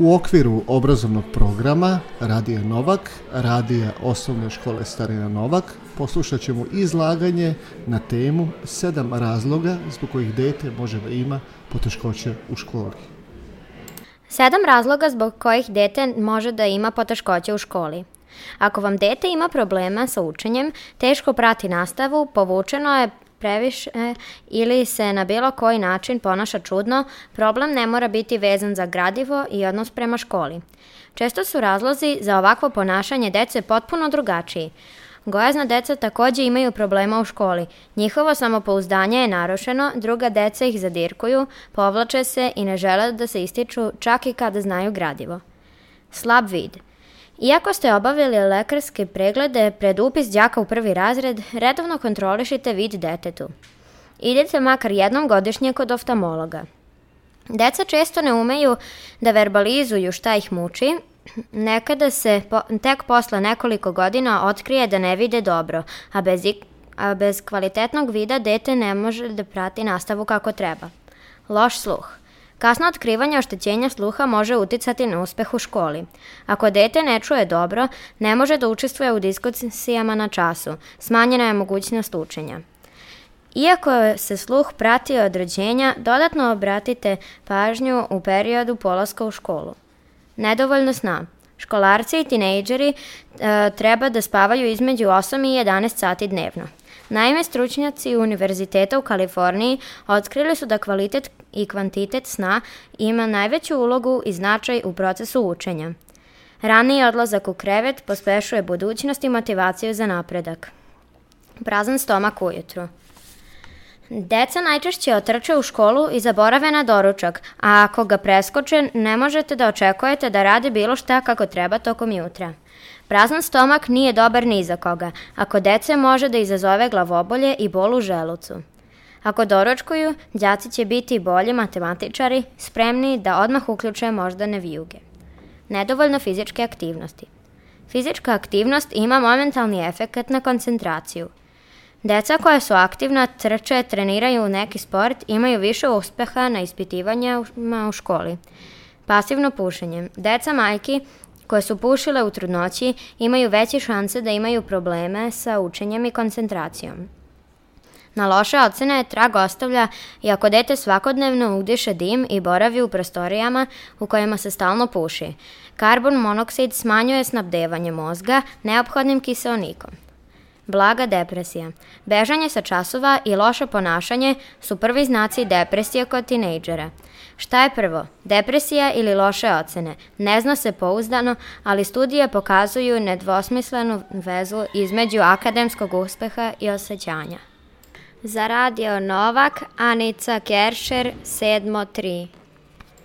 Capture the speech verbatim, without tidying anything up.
U okviru obrazovnog programa Radija Novak, Radija osnovne škole Starina Novak, poslušat ćemo izlaganje na temu sedam razloga zbog kojih dete može da ima poteškoće u školi. Sedam razloga zbog kojih dete može da ima poteškoće u školi. Ako vam dete ima problema sa učenjem, teško prati nastavu, povučeno je previše ili se na bilo koji način ponaša čudno, problem ne mora biti vezan za gradivo i odnos prema školi. Često su razlozi za ovakvo ponašanje dece potpuno drugačiji. Gojazna deca također imaju problema u školi. Njihovo samopouzdanje je narušeno, druga deca ih zadirkuju, povlače se i ne žele da se ističu čak i kada znaju gradivo. Slab vid. Iako ste obavili lekarske preglede pred upis đaka u prvi razred, redovno kontrolišite vid detetu. Idite makar jednom godišnje kod oftalmologa. Deca često ne umeju da verbalizuju šta ih muči, nekada se po, tek posle nekoliko godina otkrije da ne vide dobro, a bez, a bez kvalitetnog vida dete ne može da prati nastavu kako treba. Loš sluh. Kasno otkrivanje oštećenja sluha može uticati na uspeh u školi. Ako dete ne čuje dobro, ne može da učestvuje u diskusijama na času, smanjena je mogućnost učenja. Iako se sluh prati od rođenja, dodatno obratite pažnju u periodu polaska u školu. Nedovoljno sna. Školarci i tinejdžeri e, treba da spavaju između osam i jedanaest sati dnevno. Naime, stručnjaci Univerziteta u Kaliforniji otkrili su da kvalitet i kvantitet sna ima najveću ulogu i značaj u procesu učenja. Raniji odlazak u krevet pospešuje budućnost i motivaciju za napredak. Prazan stomak ujutru. Deca najčešće otrče u školu i zaborave na doručak, a ako ga preskoče, ne možete da očekujete da rade bilo šta kako treba tokom jutra. Prazan stomak nije dobar ni za koga, ako dece može da izazove glavobolje i bol u želucu. Ako doručkuju, đaci će biti bolji matematičari, spremni da odmah uključe moždane vijuge. Nedovoljno fizičke aktivnosti. Fizička aktivnost ima momentalni efekat na koncentraciju. Deca koja su aktivna, trče, treniraju neki sport, imaju više uspeha na ispitivanjima u školi. Pasivno pušenje. Deca majki koje su pušile u trudnoći imaju veće šanse da imaju probleme sa učenjem i koncentracijom. Na loše ocene trag ostavlja i ako dete svakodnevno udiše dim i boravi u prostorijama u kojima se stalno puši. Karbon monoksid smanjuje snabdevanje mozga neophodnim kiseonikom. Blaga depresija. Bežanje sa časova i loše ponašanje su prvi znaci depresije kod tinejdžera. Šta je prvo? Depresija ili loše ocene? Ne zna se pouzdano, ali studije pokazuju nedvosmislenu vezu između akademskog uspeha i osjećanja. Za Radio Novak, Anica Keršer, sedmo tri.